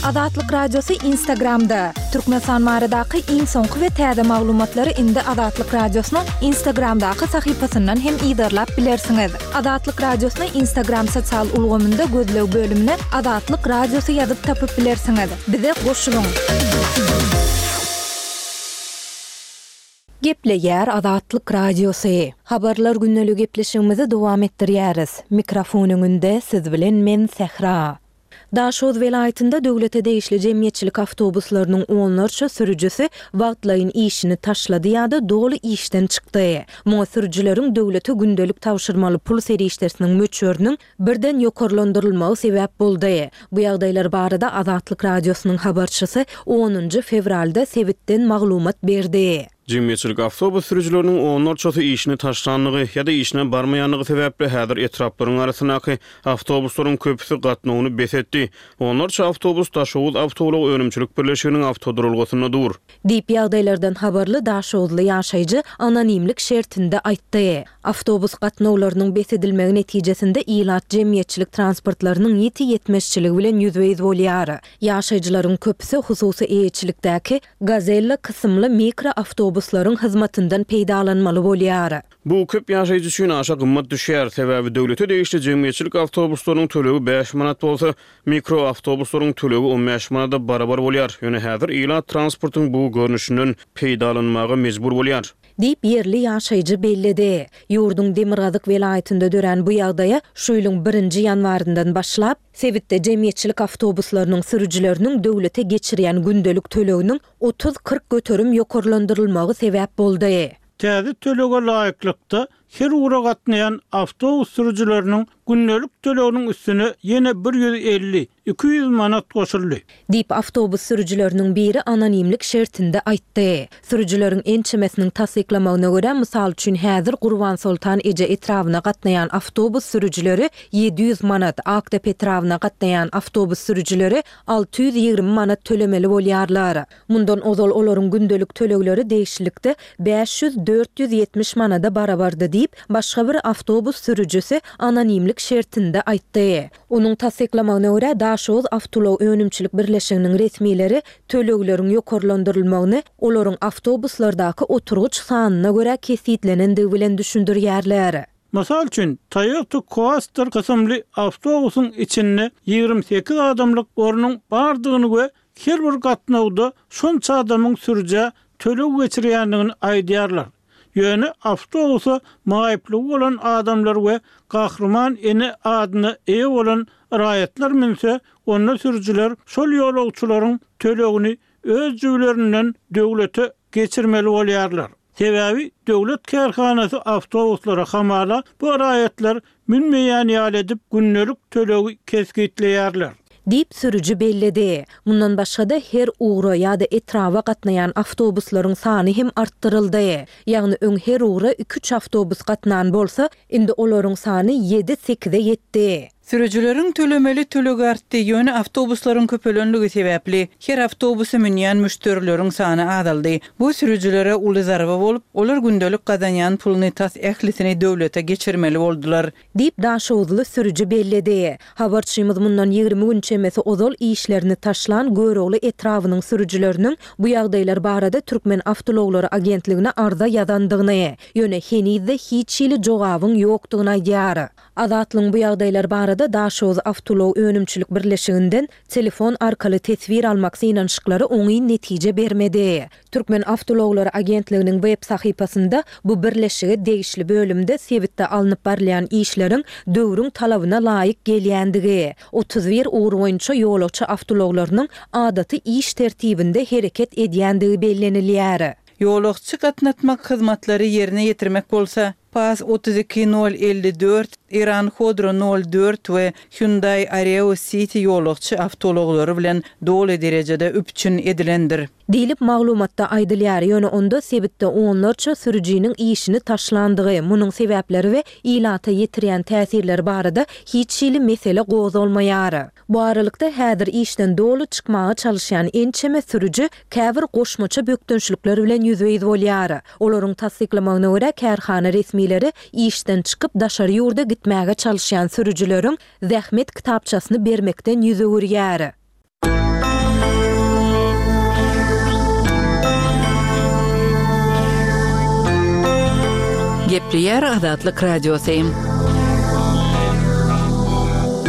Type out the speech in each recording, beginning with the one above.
Azatlyk Radiosy Instagramda! Türkmenistan baradaky iň soňky we täze maglumatlary indi Azatlyk Radiosynyň Instagramdaky sahypasyndan hem yzarlap bilersiňiz. Azatlyk Radiosyny Instagram sosial ulgamynda gözleg bölümine Azatlyk Radiosy ýazyp tapyp bilersiňiz. Bize goşulyň! Gepleýär Azatlyk Radiosy. Habarlar gündeli gepleşigimizi dowam etdirýäris. Mikrofon öňünde siz bilen men Sähra. Daşoguz welaýatynda döwlete degişli jemgyýetçilik awtobuslarynyň onlarça sürüjisi wagtlaýyn işini taşlady ýa-da doly işden çykdy. Muňa sürüjileriň döwlete gündelik tabşyrmaly pul serişdesiniň möçberiniň birden ýokarlandyrylmagy sebäp boldy. Bu ýagdaýlar barada Azatlyk Radiosynyň habarçysy onunjy fewralda sebitden maglumat berdi. Jemgyýetçilik awtobus sürüjileriniň onlarçasy işini taşlandygy ýa-da işine barmaýandygy sebäpli häzir etraplaryň arasyndaky awtobuslaryň köpüsi gatnawyny bes etdi. Onlarça awtobus Daşoguz awtoulag önümçilik birleşiginiň awtoduralgasynda dur. Diýip, ýagdaýlardan habarly daşoguzly ýaşaýjy anonimlik şertinde aýtdy. Awtobus gatnawlarynyň bes edilmegi netijesinde ilat jemgyýetçilik transportlarynyň ýiti ýetmezçiligi bilen ýüzbe-ýüz bolýar. Ýaşaýjylaryň köpüsi hususy eýeçilikdäki Gazella kysymly mikroawtobuslaryň hyzmatyndan peýdalanmaly bolýar. Bu köp ýaşaýjy üçin aşa gymmat düşýär, sebäbi döwlete degişli jemgyýetçilik awtobuslarynyň tölegi bäş manat bolsa, mikroawtobuslaryň tölegi on bäş manada barabar bolýar. Ýöne häzir ilat transportyň bu görnüşinden peýdalanmaga mejbur bolýar. Diýip, ýerli ýaşaýjy belledi. Ýurduň demirgazyk welaýatynda dörän bu ýagdaýa şu ýylyň birinji ýanwaryndan başlap, sebitde jemgyýetçilik awtobuslarynyň sürüjileriniň döwlete geçirýän gündelik töleginiň 30-40 göterim ýokarlandyrylmagy sebäp boldy. Täze tölege laýyklykda, her ugra gatnaýan awtobus sürüjileriniň gündelik töleginiň üstüne ýene bir 150, 200 manat goşuldy. Diýip, awtobus sürüjileriniň biri anonimlik şertinde aýtdy. Sürüjileriň ençemesiniň tassyklamagyna görä, mysal üçin, häzir Gurbansoltan eje etrabyna gatnaýan awtobus sürüjileri 700 manat, Akdepe etrabyna gatnaýan awtobus sürüjileri 620 manat tölemeli bolýarlar. Mundan ozal olaryň gündelik tölegleri degişlilikde 500, 470 manada barabardy diýip, başga bir awtobus sürüjisi anonimlik şertinde aýtdy. Onuň tassyklamagyna görä, Daşoguz awtoulag önümçilik birleşiginiň resmileri tölegleriň ýokarlandyrylmagyny olaryň awtobuslardaky oturgyç sanyna görä kesgitlenendigi bilen düşündirýärler. Mysal üçin, Toyota Coaster kysymly awtobusyň içinde 28 adamlyk ornuň bardygyny we her bir gatnawda şonça adamyň sürüjä töleg geçirýändigini aýdýarlar. Ýöne awtobusa maýyplygy bolan adamlar we Gahryman ene adyna eýe bolan raýatlar münse, onda sürüjiler şol ýolagçylaryň tölegini öz jübülerinden döwlete geçirmeli bolýarlar. Sebäbi döwlet kärhanasy awtobuslara hamala bu raýatlar münmeýän ýaly edip gündelik tölegi kesgitleýärler. Diýip, sürüji belledi. Mundan başga-da, her ugra ýa-da etraba gatnaýan awtobuslaryň sany hem artdyryldy. Ýagny öň her ugra iki-üç awtobus gatnan bolsa, indi olaryň sany ýedi-sekize ýetdi. Sürüjileriň tölemeli tölegi artdy, ýöne awtobuslaryň köpelenligi sebäpli, her awtobusa münýän müşderileriň sany azaldy. Bu sürüjilere uly zarba bolup, olar gündelik gazanýan puluny tas ählisini döwlete geçirmeli boldular. Diýip, daşoguzly sürüji belledi. Habarçymyz mundan 20 gün çemesi ozal işlerini taşlan Görogly etrabynyň sürüjileriniň bu ýagdaýlar barada Türkmenawtoulaglary agentligine arza ýazandygyny, ýöne heniz-de hiç hili jogabyň ýokdugyny aýdýar. Azatlygyň bu ýagdaýlar barada Daşoguz awtoulag önümçilik birleşiginden telefon arkaly teswir almak synanyşyklary oňyn netije bermedi. Türkmen awtoulaglary agentliginiň web sahypasynda bu birleşige degişli bölümde sebitde alnyp barylýan işleriň döwrüň talabyna laýyk gelýändigi, 31 ugur boýunça ýolagçy awtoulaglarynyň adaty iş tertibinde hereket edýändigi bellenilýär. Ýolagçy gatnatmak hyzmatlary ýerine ýetirmek bolsa, Paz 32 nol 54, Iran Khodro nol dört we Hyundai Areo City ýolagçy awtoulaglary bilen doly derejede üpjün edilendir. Diýlip, maglumatda aýdylýar, ýöne onda sebitde onlarça sürüjiniň işini taşlandygy, munuň sebäpleri we ilata ýetirýän täsirleri barada hiç hili mesele gozgalmaýar. Bu aralykda, häzir işden doly çykmaga çalyşýan ençeme sürüji käbir goşmaça bökdençlikler bilen ýüzbe-ýüz bolýar. Olaryň tassyklamagyna görä, kärhana resmileri işden çykyp daşary ýurda gitmäge çalyşýan sürüjileriň zähmet kitapçasyny bermekden ýüz öwürýär. Gepleýär Azatlyk Radiosy.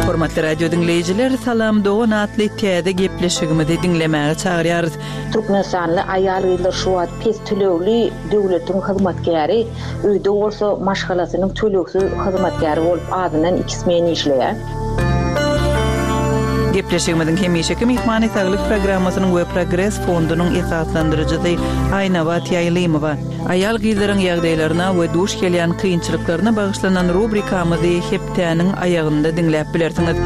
Hormatly radio diňleýjiler, Salam dogan atly täze gepleşigimizi diňlemäge çagyrýarys. Türkmenistanly aýal-gyzlar şu wagt pes tölegli döwletiň hyzmatkäri, öýde bolsa maşgalasynyň tölegsiz hyzmatkäri bolup azyndan iki smen işleýär. Gepleşigimiziň hemişeki myhmany Saglyk programmasynyň we Progres fondunyň esaslandyryjysy Aýnabat Ýaýlymowa. Aýal-gyzlaryň ýagdaýlaryna we duş gelýän kynçylyklaryna bagyşlanan rubrikamyzy hepdäniň aýagynda diňläp bilersiňiz.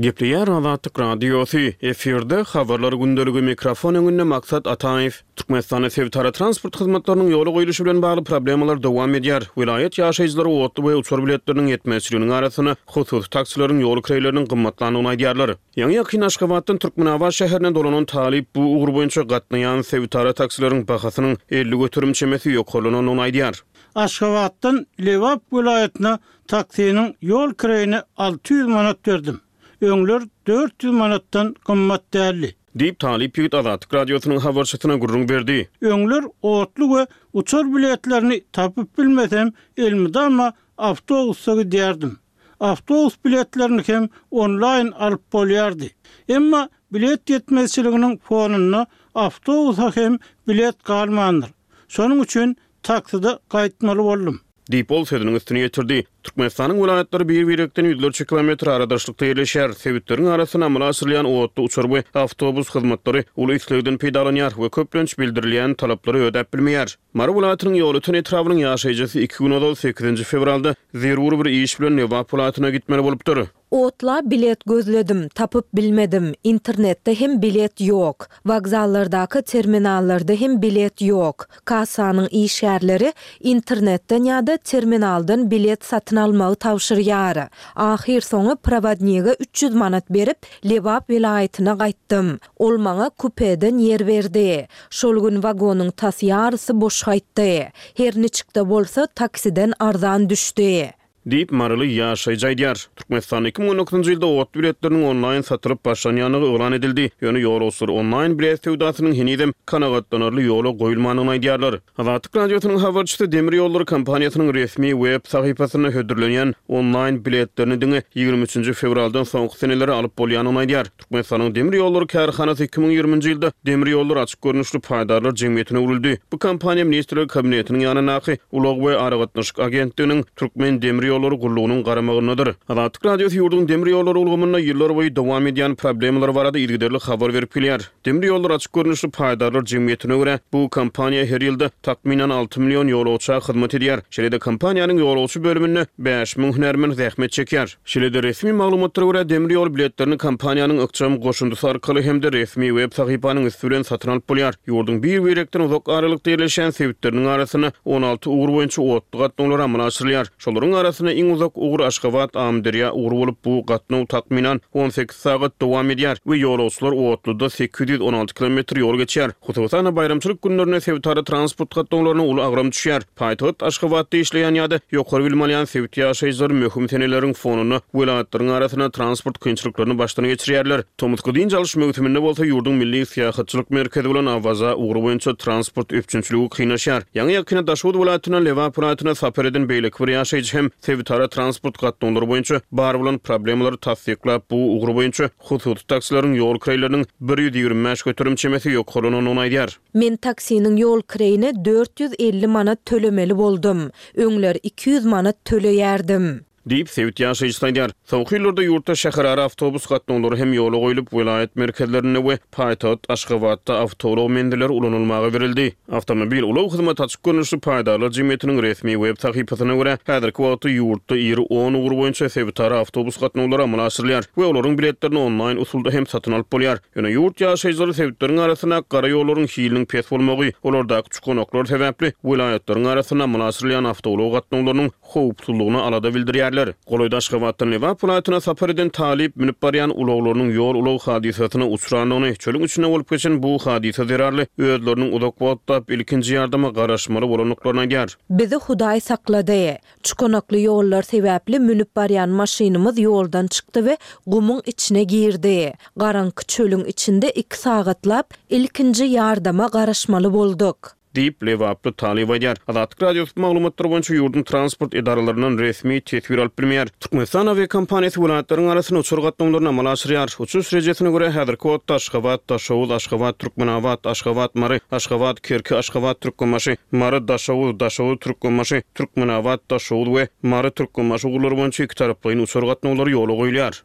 Gepleýär Azatlyk Radiosy, efirde Habarlar gündeligi, mikrofon öňünde Maksat Ataýew. Türkmenistanda sebitara transport hyzmatlarynyň ýola goýluşy bilen bagly problemalar dowam edýär. Welaýat ýaşaýjylary otly we uçar biletleriniň ýetmezçiliginiň arasynda hususy taksileriň ýol kireýleriniň gymmatlandygyny aýdýarlar. Ýaňy-ýakynda Aşgabatdan Türkmenabat şäherine dolanan talyp bu ugur boýunça gatnaýan sebitara taksileriň bahasynyň 50% çemesi ýokarlanandygyny aýdýar. Aşgabatdan Lebap welaýatyna Taksiniň ýol kireýine 600 manat berdim. Öňler 400 manatdan gymmat däldi. Diýip, talyp ýigit Azatlyk Radiosynyň habarçysyna gürrüň berdi. Öňler otly we uçar biletlerini tapyp bilmesem, elmydama awtobusda gidýärdim. Awtobus biletlerini hem onlaýn alyp bolýardy. Emma bilet ýetmezçiliginiň fonunda awtobusa hem bilet galmandyr. Şonuň üçin takside gaýtmaly boldum. Diýip, ol sözüniň üstüni ýetirdi. Türkmenistanyň welaýatlary bir-birekden ýüzlerçe kilometr aradaşlykda ýerleşýär. Sebitleriň arasynda amala aşyrylýan otly, uçar we awtobus hyzmatlary uly islegden peýdalanýar we köplenç bildirilýän talaplary ödäp bilmeýär. Mary welaýatynyň Ýolöten etrabynyň ýaşaýjysy iki gün ozal, sekizinji fewralda zerur bir iş bilen Lebap welaýatyna gitmeli bolupdyr. Otla bilet gözledim, tapyp bilmedim. Internetde hem bilet ýok. Wokzallardaky terminallarda hem bilet ýok. Kassanyň işgärleri internetden ýa-da terminaldan bilet satyn almagy tabşyrýar. Ahyrsoňy prowodnige 300 manat berip, Lebap welaýatyna gaýtdym. Ol maňa kupeden ýer berdi. Şol gün wagonyň tas ýarysy boş gaýtdy. Her niçik-de bolsa, taksiden arzan düşdi. Diýip, maryly ýaşaýjy aýdýar. Türkmenistanda 2019-njy ýylda otly biletleriniň onlaýn satylyp başlanýandygy yglan edildi. Ýöne ýolagçylar onlaýn bilet söwdasynyň henizem kanagatlanarly ýola goýulmandygyny aýdýarlar. Azatlyk Radiosynyň habarçysy demir ýollary kompaniýasynyň resmi web sahypasynda hödürlenýän onlaýn biletlerini diňe 23-nji fewraldan soňky senelere alyp bolýandygyny aýdýar. Türkmenistanyň demir ýollary kärhanasy 2020-nji ýylda Demir ýollary açyk görnüşli paýdarlar jemgyýetine öwrüldi. Bu kompaniýa Ministrler Kabinetiniň ýanyndaky Ulag we aragatnaşyk agentliginiň Türkmen demir ýollary gullugynyň garamagyndadyr. Azatlyk Radiosy ýurduň demir ýollary ulgamynda ýyllarboýy dowam edýän problemalar barada yzygiderli habar berip gelýär. Demir ýollary açyk görnüşli paýdarlar jemgyýetine görä, bu kompaniýa her ýylda takmynan alty million ýolagça hyzmat edýär. Şeýle-de kompaniýanyň ýolagçy bölüminde 5000 hünärmen zähmet çekýär. Şeýle-de, resmi maglumatlara görä, demir ýol biletlerini kompaniýanyň ykjam goşundysy arkaly hem-de resmi web sahypanyň üsti bilen satyn alyp bolýar. Ýurduň bir-birekden uzak aralykda ýerleşýän sebitleriniň arasynda 16 ugur boýunça otly gatnawlar amala aşyrylýar. Şolaryň arasynda iň uzak ugur Aşgabat, Amyderýa ugry bolup, bu gatnaw takmynan 18 sagat dowam edýär we ýolagçylar otluda 816 kilometr ýol geçýär. Hususan-da, baýramçylyk günlerinde sebitara transport gatnawlaryna uly agram düşýär. Paýtagt Aşgabatda işleýän ýa-da ýokary bilim alýan sebit ýaşaýjylary möhüm seneleriň fonunda welaýatlaryň arasynda transport kynçylyklaryny başdan geçirýärler. Tomusky dynç alyş möwsüminde bolsa ýurduň milli syýahatçylyk merkezi bolan Awaza ugry boýunça transport üpjünçiligi kynlaşýar. Ýaňy-ýakynda Daşoguz welaýatyndan Lebap welaýatyna sapar eden beýleki bir ýaşaýjy hem sebitara transport gatnawlary boýunça bar bolan problemalary tassyklap, bu ugur boýunça hususy taksileriň ýol kireýleriniň 125% çemesi ýokarlanandygyny aýdýar. Men taksiniň ýol kireýine 450 manat tölemeli boldum. Öňler 200 manat töleýärdim. Diýip, sebit ýaşaýjysy aýdýar. Soňky ýyllarda ýurtda şäherara awtobus gatnawlary hem ýola goýlup, welaýat merkezlerinde we paýtagt Aşgabatda awtoulag menzilleri ulanylmaga berildi. Awtomobil ulag hyzmaty açyk görnüşli paýdarlar jemgyýetiniň resmi web sahypasyna görä, häzirki wagtda ýurtda iri on ugur boýunça sebitara awtobus gatnawlary amala aşyrylýar we olaryň biletlerini onlaýn usulda hem satyn alyp bolýar. Ýöne ýurt ýaşaýjylary sebitleriň arasyndaky gara ýollaryň hiliniň pes bolmagy, olardaky çukanaklar sebäpli welaýatlaryň arasynda amala aşyrylýan awtoulag gatnawlarynyň howpsuzlygyna alada bildirýär. belleýärler. Golaýda Aşgabatdan Lebap welaýatyna sapar eden talyp münüp barýan ulaglarynyň ýol-ulag hadysasyna uçrandygyny, çölüň içinde bolup geçen bu hadysa zerarly özleriniň uzak wagtlap ilkinji ýardama garaşmaly bolandyklaryny aýdýar. Bizi Hudaý saklady. Çukanakly ýollar sebäpli münüp barýan maşynymyz ýoldan çykdy we gumuň içine girdi. Garaňky çölüň içinde iki sagatlap ilkinji ýardama garaşmaly bolduk. Diýip, lebaply talyp aýdýar. Azatlyk Radiosy bu maglumatlar boýunça ýurduň transport edaralaryndan resmi teswir alyp bilmeýär. Türkmenistan awiakompaniýasy welaýatlaryň arasynda uçar gatnawlaryny amala aşyrýar. Uçuş rejesine görä, häzirki wagtda Aşgabat, Daşoguz, Aşgabat, Türkmenabat, Aşgabat, Mary, Aşgabat, Kerki, Aşgabat, Türkmenbaşy, Mary, Daşoguz, Daşoguz, Türkmenbaşy, Türkmenabat, Daşoguz we Mary, Türkmenbaşy ugurlary boýunça ikitaraplaýyn uçar gatnawlary ýola goýulýar.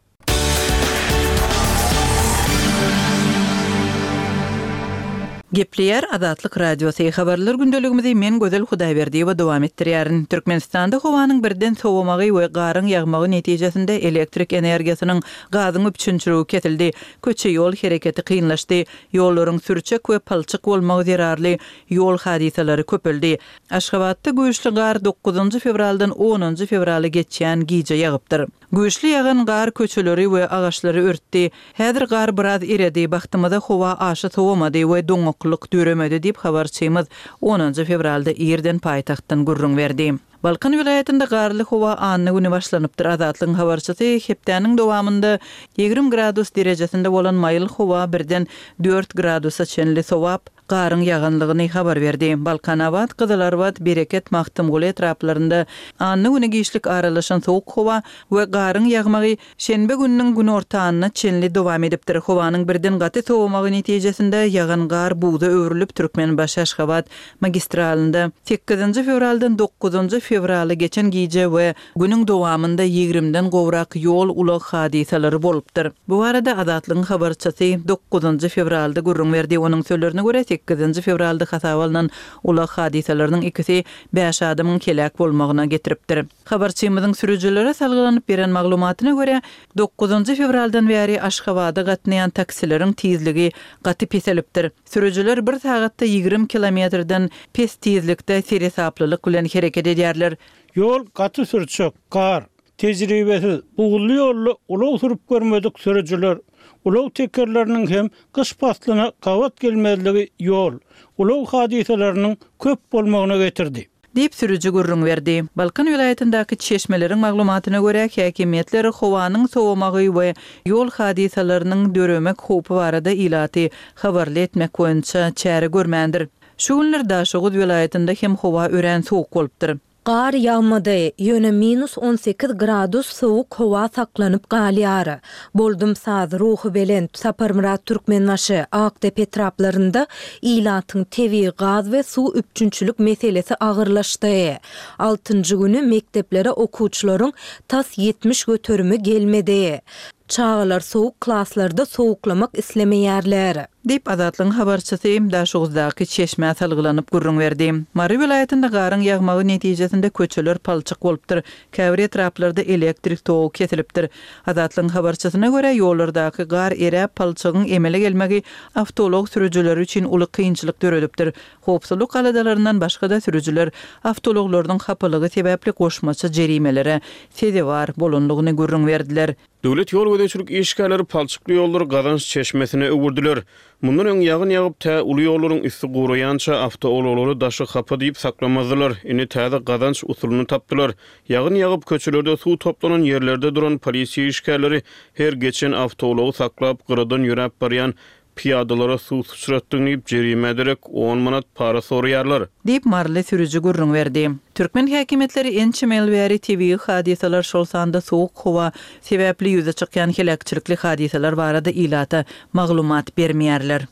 Gepleýär Azatlyk Radiosy, Habarlar gündeligimizi men Gözel Hudaýberdiýewa dowam etdirýärin. Türkmenistanda howanyň birden sowamagy we garyň ýagmagy netijesinde elektrik energiýasynyň, gazyň üpjünçiligi kesildi, köçe-ýol hereketi kynlaşdy, ýollaryň sürçek we palçyk bolmagy zerarly ýol hadysalary köpeldi. Aşgabatda güýçli gar dokuzynjy fewraldan onunjy fewrala geçýän gije ýagypdyr. Güýçli ýagan gar köçeleri we agaçlary örtdi. Häzir gar biraz eredi, bagtymyza howa aşa sowamady we doňaklyk döremedi diýip, habarçymyz onunjy fewralda irden paýtagtdan gürrüň berdi. Balkan welaýatynda garly howa anna güni başlanypdyr. Azatlygyň habarçysy hepdäniň dowamynda 20 gradus derejesinde bolan maýyl howa birden dört gradusa çenli sowap, garyň ýaganlygyny habar berdi. Balkanabat, Gyzylarbat, Bereket, Magtymguly etraplarynda anna güni giçlik aralaşan sowuk howa we garyň ýagmagy şenbe gününiň günortanyna çenli dowam edipdir. Howanyň birden gaty sowamagy netijesinde ýagan gar buza öwrülip, Türkmenbaşy-Aşgabat magistralynda sekizinji fewraldan dokuzynjy fewrala geçen gije we Günüň dowamynda ýigrimden gowrak ýol-ulag hadysalary bolupdyr. Bu barada Azatlygyň habarçysy dokuzynjy fewralda gürrüň berdi. Onuň sözlerine görä, sekizinji fewralda hasaba alnan ulag hadysalarynyň ikisi bäş adamyň heläk bolmagyna getiripdir. Habarçymyzyň sürüjilere salgylanyp beren maglumatyna görä, dokuzynjy fewraldan bäri Aşgabada gatnaýan taksileriň tizligi gaty peselipdir. Sürüjiler bir sagatda 20 kilometrden pes tizlikde seresaplylyk bilen hereket edýärler. Ýol gaty sürçek, gar. Tejribesiz, buzly ýolda ulag sürüp görmedik sürüjiler, ulag tekerleriniň hem gyş paslyna gabat gelmezligi ýol, ulag hadysalarynyň köp bolmagyna getirdi. Diýip, sürüji gürrüň berdi. Balkan welaýatyndaky çeşmeleriň maglumatyna görä, häkimiýetler howanyň sowamagy we ýol hadysalarynyň döremek howpy barada ilaty habarly etmek boýunça çäre görmändir. Şu günler Daşoguz welaýatynda hem howa örän sowuk bolupdyr. Gar ýagmady, ýöne minus 18 gradus sowuk howa saklanyp galýar. Boldumsaz, Ruhubelent, Saparmyrat Türkmenbaşy, Akdepe etraplarynda ilatyň tebigy gaz we suw üpjünçilik meselesi agyrlaşdy. Altynjy güni mekdeplere okuwçylaryň tas 70 göterimi gelmedi. Çagalar sowuk klaslarda sowuklamak islemeýärler. Diýip, Azatlygyň habarçysy Daşoguzdaky çeşmä salgylanyp gürrüň berdi. Mary welaýatynda garyň ýagmagy netijesinde köçeler palçyk bolupdyr, käbir etraplarda elektrik togy kesilipdir. Azatlygyň habarçysyna görä, ýollardaky gar eräp, palçygyň emele gelmegi awtoulag sürüjileri üçin uly kynçylyk döredipdir. Howpsuzlyk aladalaryndan başga-da sürüjiler awtoulaglarynyň hapalygy sebäpli goşmaça jerimelere sezewar bolandygyny gürrüň berdiler. Döwlet ýol gözegçilik işgärleri palçykly ýollary gazanç çeşmesine öwürdiler. Mundan öň ýagyn ýagyp, tä uly ýollaryň üsti guraýança awtoulaglary daşy hapa diýip saklamazdylar. Indi täze gazanç usulyny tapdylar. Ýagyn ýagyp, köçelerde suw toplanan ýerlerde duran polisiýa işgärleri her geçen awtoulagy saklap, gyradan ýöräp barýan Pyýadalara suw syçratdyň diýip, jerimä derek on manat para soraýarlar. Diýip, maryly sürüji gürrüň berdi. Türkmen häkimiýetleri ençeme ýyl bäri tebigy hadysalar, şol sanda sowuk howa sebäpli ýüze çykýan heläkçilikli hadysalar barada ilata maglumat bermeýärler.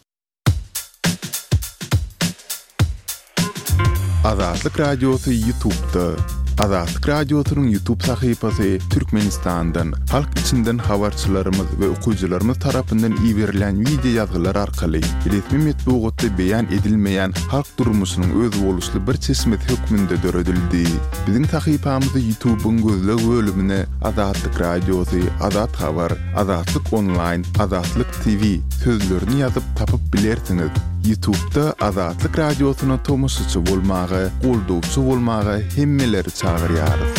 Azatlyk Radiosy Ýutubda. Azatlyk Radiosynyň Ýutub sahypasy Türkmenistandan, halk içinden habarçylarymyz we okyjylarymyz tarapyndan iberilýän wideo ýazgylar arkaly resmi metbugatda beýan edilmeýän halk durmuşynyň özboluşly bir çeşmesi hökmünde döredildi. Biziň sahypamyzy Ýutubyň gözleg bölümine Azatlyk Radiosy, Azat Habar, Azatlyk Onlaýn, Azatlyk TV sözlerini ýazyp tapyp bilersiňiz. Ýutubda Azatlyk Radiosyna tomaşaçy bolmaga, goldawçy bolmaga hemmeleri çagyrýarys.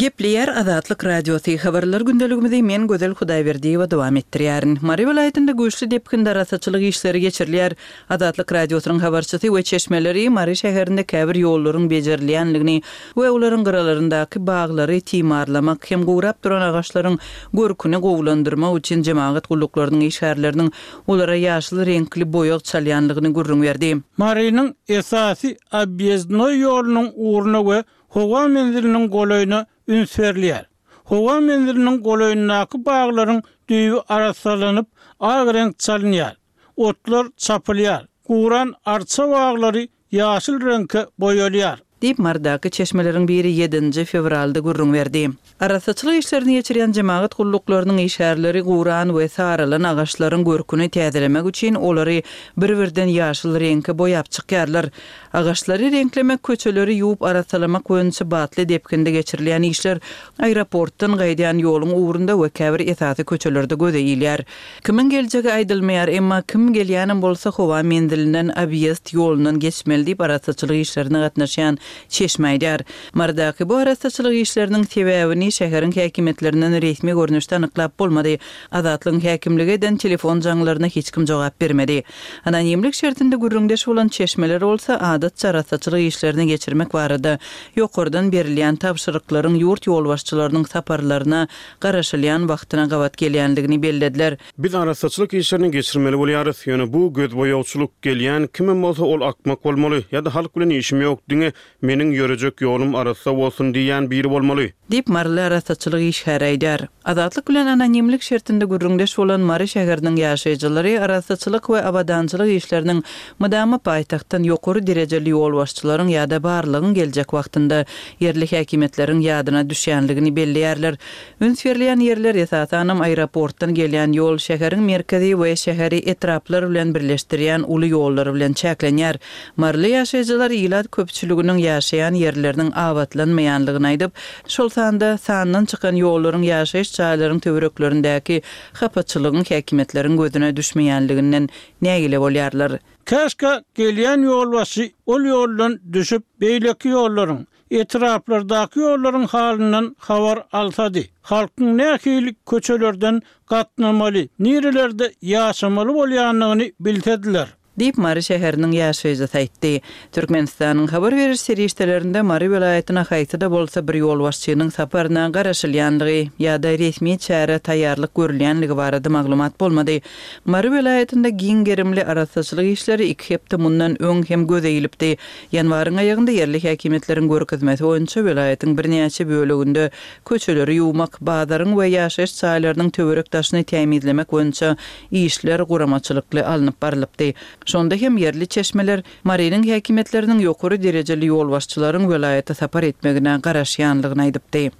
Gepleýär Azatlyk Radiosy, Habarlar gündeligimizi men Gözel Hudaýberdiýewa dowam etdirýärin. Mary welaýatynda güýçli depginde arassaçylyk işleri geçirilýär. Azatlyk Radiosynyň habarçysy we çeşmeleri Mary şäherinde käbir ýollaryň bejerilýänligini we olaryň gyralaryndaky baglary timarlamak hem gurap duran agaçlaryň görküni gowulandyrmak üçin jemagat gulluklarynyň işgärleriniň olara ýaşyl reňkli boýag çalýanlygyny gürrüň berdi. Marynyň esasy obýezdnoý ýolunyň ugruna we howa menziliniň golaýyna üns berilýär. Howa menziliniň golaýyndaky baglaryň düýbi arassalanyp, ak reňk çalynýar. Otlar çapylýar. Guran arça baglary ýaşyl reňke boýalýar. Diýip, Marydaky çeşmeleriň biri ýedinji fewralda gürrüň berdi. Arassaçylyk işlerini geçirýän jemagat gulluklarynyň işgärleri guran we saralan agaçlaryň görküni täzelemek üçin olary bir-birden ýaşyl reňke boýap çykýarlar. Agaçlary reňklemek, köçeleri ýuwup arassalamak boýunça batly depginde geçirilýän işler aeroportdan gaýdýan ýoluň ugrunda we käbir esasy köçelerde göze ilýär. Kimiň geljegi aýdylmaýar, emma kim gelýänem bolsa howa menzilinden obýezd ýolundan geçmeli diýip arassaçylyk işlerine gatnaşýan çeşme aýdýar. Marydaky bu arassaçylyk işleriniň sebäbini şäheriň häkimiýetlerinden resmi görnüşde anyklap bolmady. Azatlygyň häkimlige eden telefon jaňlaryna hiç kim jogap bermedi. Anonimlik şertinde gürrüňdeş bolan çeşmeler bolsa adatça arassaçylyk işlerini geçirmek barada ýokardan berilýän tabşyryklaryň ýurt ýolbaşçylarynyň saparlaryna garaşylýan wagtyna gabat gelýändigini bellediler. Biz arassaçylyk işlerini geçirmeli bolýarys, ýöne bu gözboýagçylyk, gelýän kimem bolsa ol akmak bolmaly, ýa-da halk bilen işim ýok, diňe meniň ýörejek ýolum arassa bolsun diýýän biri bolmaly. Diýip, maryly arassaçylyk işgäri aýdýar. Azatlyk bilen anonimlik şertinde gürrüňdeş bolan Mary şäheriniň ýaşaýjylary arassaçylyk we abadançylyk işleriniň mydama paýtagtdan ýokary derejeli ýolbaşçylaryň ýa-da barlygyň geljek wagtynda ýerli häkimiýetleriň ýadyna düşýänligini belleýärler. Üns berilýän ýerler, esasanam, aeroportdan gelýän ýol, şäheriň merkezi we şäheri etraplar bilen birleşdirýän uly ýollar bilen çäklenýär. Maryly ýaşaýjylar ilat köpçüliginiň ýaşaýan ýerleriniň abatlanmaýanlygyny aýdyp, şol sanda sandan çykan ýollaryň ýaşaýyş jaýlaryň töwereklerindäki hapaçylygyň häkimiýetleriň gözüne düşmeýänliginden nägile bolýarlar. Käşgä gelýän ýolbaşçy ol ýoldan düşüp, beýleki ýollaryň, etraplardaky ýollaryň halyndan habar alsady. Halkyň nähili köçelerden gatnamaly, nirelerde ýaşamaly bolýandygyny bilsediler. Diýip, Mary şäheriniň ýaşaýjysy aýtdy. Türkmenistanyň habar beriş serişdelerinde Mary welaýatyna haýsy-da bolsa bir ýolbaşçynyň saparyna garaşylýandygy ýa-da resmi çärä taýýarlyk görülýänligi barada maglumat bolmady. Mary welaýatynda giň gerimli arassaçylyk işleri iki hepde mundan öň hem göze ilipdi. Ýanwaryň aýagynda ýerli häkimiýetleriň görkezmesi boýunça welaýatyň birnäçe böleginde köçeleri ýuwmak, bazaryň we ýaşaýyş jaýlarynyň töwerek-daşyny tämizlemek boýunça işler guramaçylykly alnyp barlypdy. Şonda hem ýerli çeşmeler Marynyň häkimiýetleriniň ýokary derejeli ýolbaşçylaryň welaýata sapar etmegine garaşýanlygyny aýdypdy.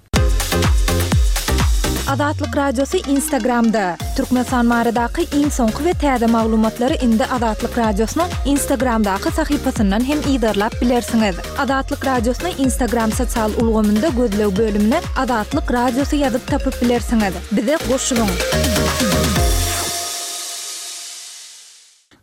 Azatlyk Radiosy Instagramda, Türkmenistan baradaky iň soňky we täze maglumatlary indi Azatlyk Radiosynyň Instagramdaky sahypasyndan hem yzarlap bilersiňiz. Azatlyk Radiosyny Instagram sosial ulgamynda gözleg bölümine Azatlyk Radiosy ýazyp tapyp bilersiňiz. Bize goşulyň!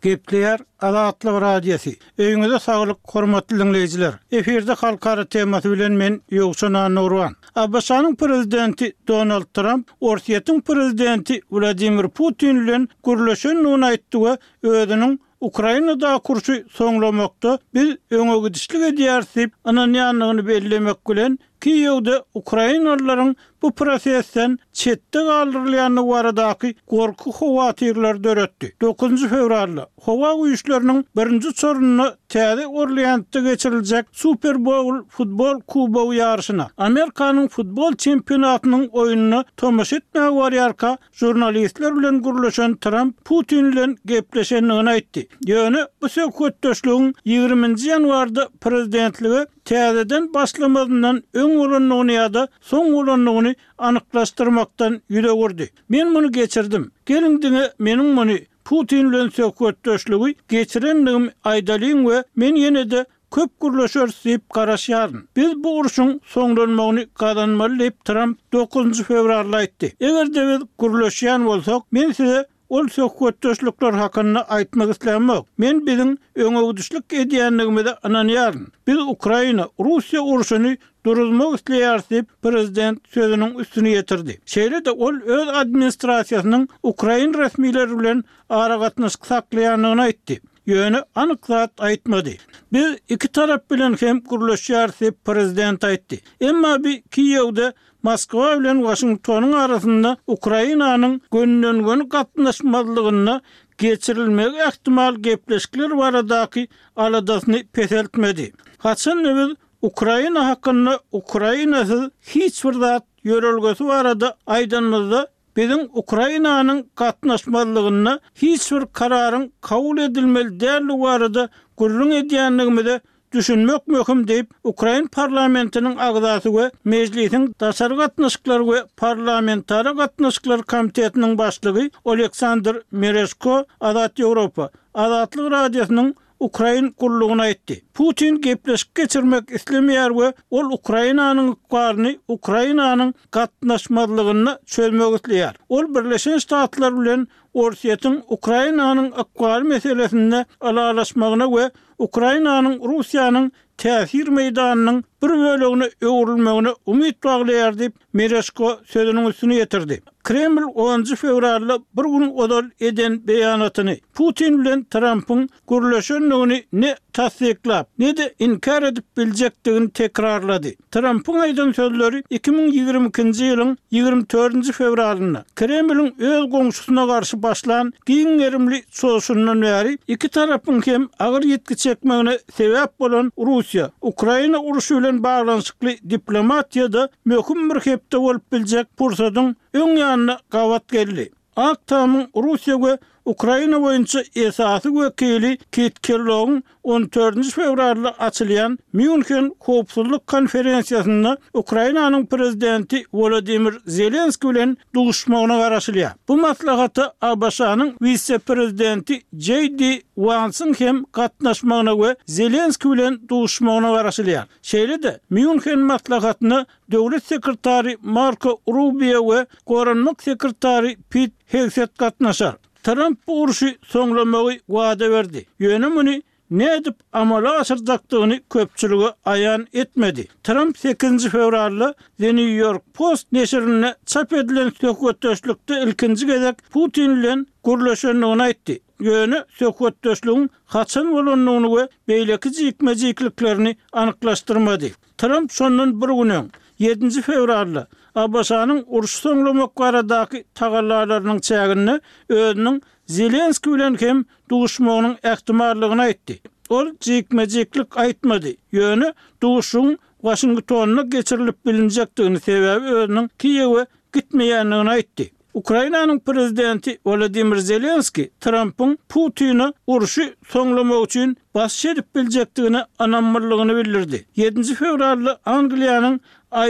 Gepleýär Azatlyk Radiosy. Öýüňize saglyk, hormatly diňleýjiler! Efirde halkara temasy bilen men Ýowşan Annagurban. ABŞ-nyň Prezidenti Donald Tramp Orsýetiň Prezidenti Wladimir Putin bilen gürleşendigini aýtdy we özüniň Ukrainadaky urşy soňlamakda biz öňegidişlik edýäris diýip ynanýandygyny bellemek bilen, Kiýewde ukrainalylaryň bu prosesden çetde galdyrylýandygy baradaky gorky-howatyrlary döretdi. Dokuzynjy fewralda Howa güýçleriniň birinji uçarynda Täze Orleansda geçiriljek Super Bowl futbol kubogy ýaryşyna, Amerikanyň futbol çempionatynyň oýnuna tomaşa etmäge barýarka, žurnalistler bilen gürleşen Tramp Putin bilen gepleşendigini aýtdy. Ýöne bu söhbetdeşligiň ýigriminji ýanwarda prezidentlige täzeden başlamazyndan öň bolandygyny ýa-da soň bolandygyny anyklaşdyrmakdan ýüz öwürdi. Men muny geçirdim. Geliň diňe meniň muny, Putin bilen söhbetdeşligi geçirendigimi aýdalyň we men ýene-de köp gürleşeris diýip garaşýaryn. Biz bu urşuň soňlanmagyny gazanmaly diýip, Tramp dokuzynjy fewralda aýtdy. Eger-de biz gürleşýän bolsak, men size. Ol söhbetdeşlikler hakynda aýtmak islämok. Men biziň öňegidişlik edýändigimize ynanýaryn. Biz Ukraina, Russiýa urşuny duruzmak isleýäris diýip, prezident sözüniň üstüni ýetirdi. Şeýle-de ol öz administrasiýasynyň ukrain resmileri bilen aragatnaşyk saklaýandygyny aýtdy. Ýöne anyk zat aýtmady. Biz iki tarap bilen hem gürleşýäris diýip, prezident aýtdy. Emma bi Kiýewde Moskwa bilen Waşingtonyň arasynda Ukrainanyň gönüden-göni gatnaşmazlygynda geçirilmegi ähtimal gepleşikler baradaky aladasyny peseltmedi. Haçan-da biz Ukraina hakynda Ukrainasyz hiç bir zat ýörelgesi barada aýdanymyzda, biziň Ukrainanyň gatnaşmazlygynda hiç bir kararyň kabul edilmeli däldigi barada gürrüň edýändigimize düşünmek möhüm diýip, ukrain parlamentiniň agzasy we Mejlisiň daşary gatnaşyklar we parlamentara gatnaşyklar komitetiniň başlygy Oleksandr Merežko Azat Ýewropa Azatlyk Radiosynyň ukrain gullugyna aýtdy. Putin gepleşik geçirmek islemeýär we ol Ukrainanyň ykbalyny Ukrainanyň gatnaşmazlygynda çözmek isleýär. Ol Birleşen Ştatlar bilen Orsýetiň Ukrainanyň ykbaly meselesinde ylalaşmagyna we Ukrainanyň Russiýanyň täsir meýdanynyň bir bölegine öwrülmegine umyt baglaýar diýip, Mereşko sözüniň üstüni ýetirdi. Kreml onunjy fewralda bir gün ozal eden beýanatyny, Putin bilen Trampyň gürleşendigini ne tassyklap, ne-de inkär edip biljekdigini tekrarlady. Trampyň aýdan sözleri 2022-nji ýylyň 24-nji fewralynda Kremliň öz goňşusyna garşy başlan giň gerimli çozuşyndan bäri iki tarapyň hem agyr ýitgi çekmegine sebäp bolan Russiýa, Ukraina urşy bilen baglanyşykly diplomatiýada möhüm bir hepde bolup biljek pursadyň öň ýanyna gabat geldi. Ak Tamyň Russiýa we Ukraina boýunça esasy wekili Kit Kellogyň on dördünji fewralda açylýan Mýunhen howpsuzlyk konferensiýasynda Ukrainanyň prezidenti Wolodymyr Zelenskiý bilen duşmagyna garaşylýar. Bu maslahata ABŞ-nyň wise-prezidenti Jeý Di Wansyň hem gatnaşmagyna we Zelenskiý bilen duşmagyna garaşylýar. Şeýle-de, Mýunhen maslahatyna Döwlet sekretary Marko Rubio we goranmak sekretary Pit Hegset gatnaşar. Tramp bu urşy soňlamagy wada berdi, ýöne muny nädip amala aşyrjakdygyny köpçülige aýan etmedi. Tramp sekizinji fewralda The New York Post neşirinde çap edilen söhbetdeşlikde ilkinji gezek Putin bilen gürleşendigini aýtdy, ýöne söhbetdeşligiň haçan bolandygyny we beýleki jikme-jikliklerini anyklaşdyrmady. Tramp şondan bir gün öň, ýedinji fewralda ABŞ-nyň urşy soňlamak baradaky tagallalarynyň çäginde özüniň Zelenskiý bilen hem duşmagynyň ähtimallygyny aýtdy. Ol jikme-jiklik aýtmady, ýöne duşuşygyň Waşingtonda geçirilip bilinjekdigini, sebäbi özüniň Kiýewe gitmeýändigini aýtdy. Ukrainanyň prezidenti Wolodymyr Zelenskiý Trampyň Putine urşy soňlamak üçin basyş edip biljekdigine ynamlydygyny bildirdi. Ýedinji fewralda Angliýanyň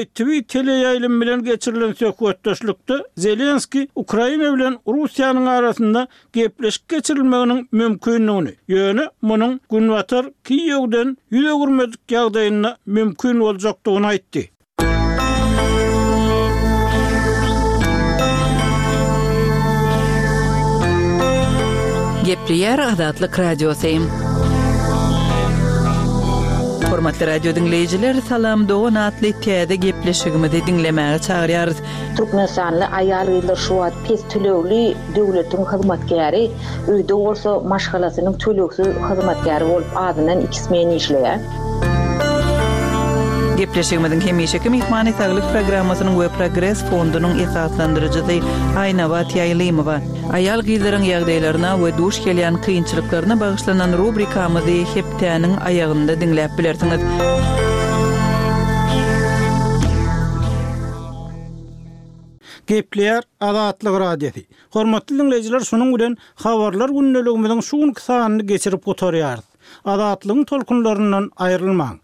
ITV teleýaýlymy bilen geçirilen söhbetdeşlikde Zelenskiý Ukraina bilen Russiýanyň arasynda gepleşik geçirilmeginiň mümkindigini, ýöne munuň Günbatar Kiýewden ýüz öwürmedik ýagdaýynda mümkin boljakdygyny aýtdy. Gepleýär Azatlyk Radiosy. Hormatly radio diňleýjiler, Salam dogan atly täze gepleşigimizi diňlemäge çagyrýarys. Türkmenistanly aýal-gyzlar şu wagt pes tölegli döwletiň hyzmatkäri, öýde bolsa maşgalasynyň tölegsiz hyzmatkäri bolup azyndan iki smen işleýär. Gepleşigimiziň hemişeki myhmany Saglyk programmasynyň we Progres fondunyň esaslandyryjysy Aýnabat Ýaýlymowa. Aýal-gyzlaryň ýagdaýlaryna we duş gelýän kynçylyklaryna bagyşlanan rubrikamyzy hepdäniň aýagynda diňläp bilersiňiz. Gepleýär Azatlyk Radiosy. Hormatly diňleýjiler şunuň bilen Habarlar gündeligimiziň şu günki sanyny geçirip gutarýarys. Azatlygyň tolkunlaryndan aýrylmaň!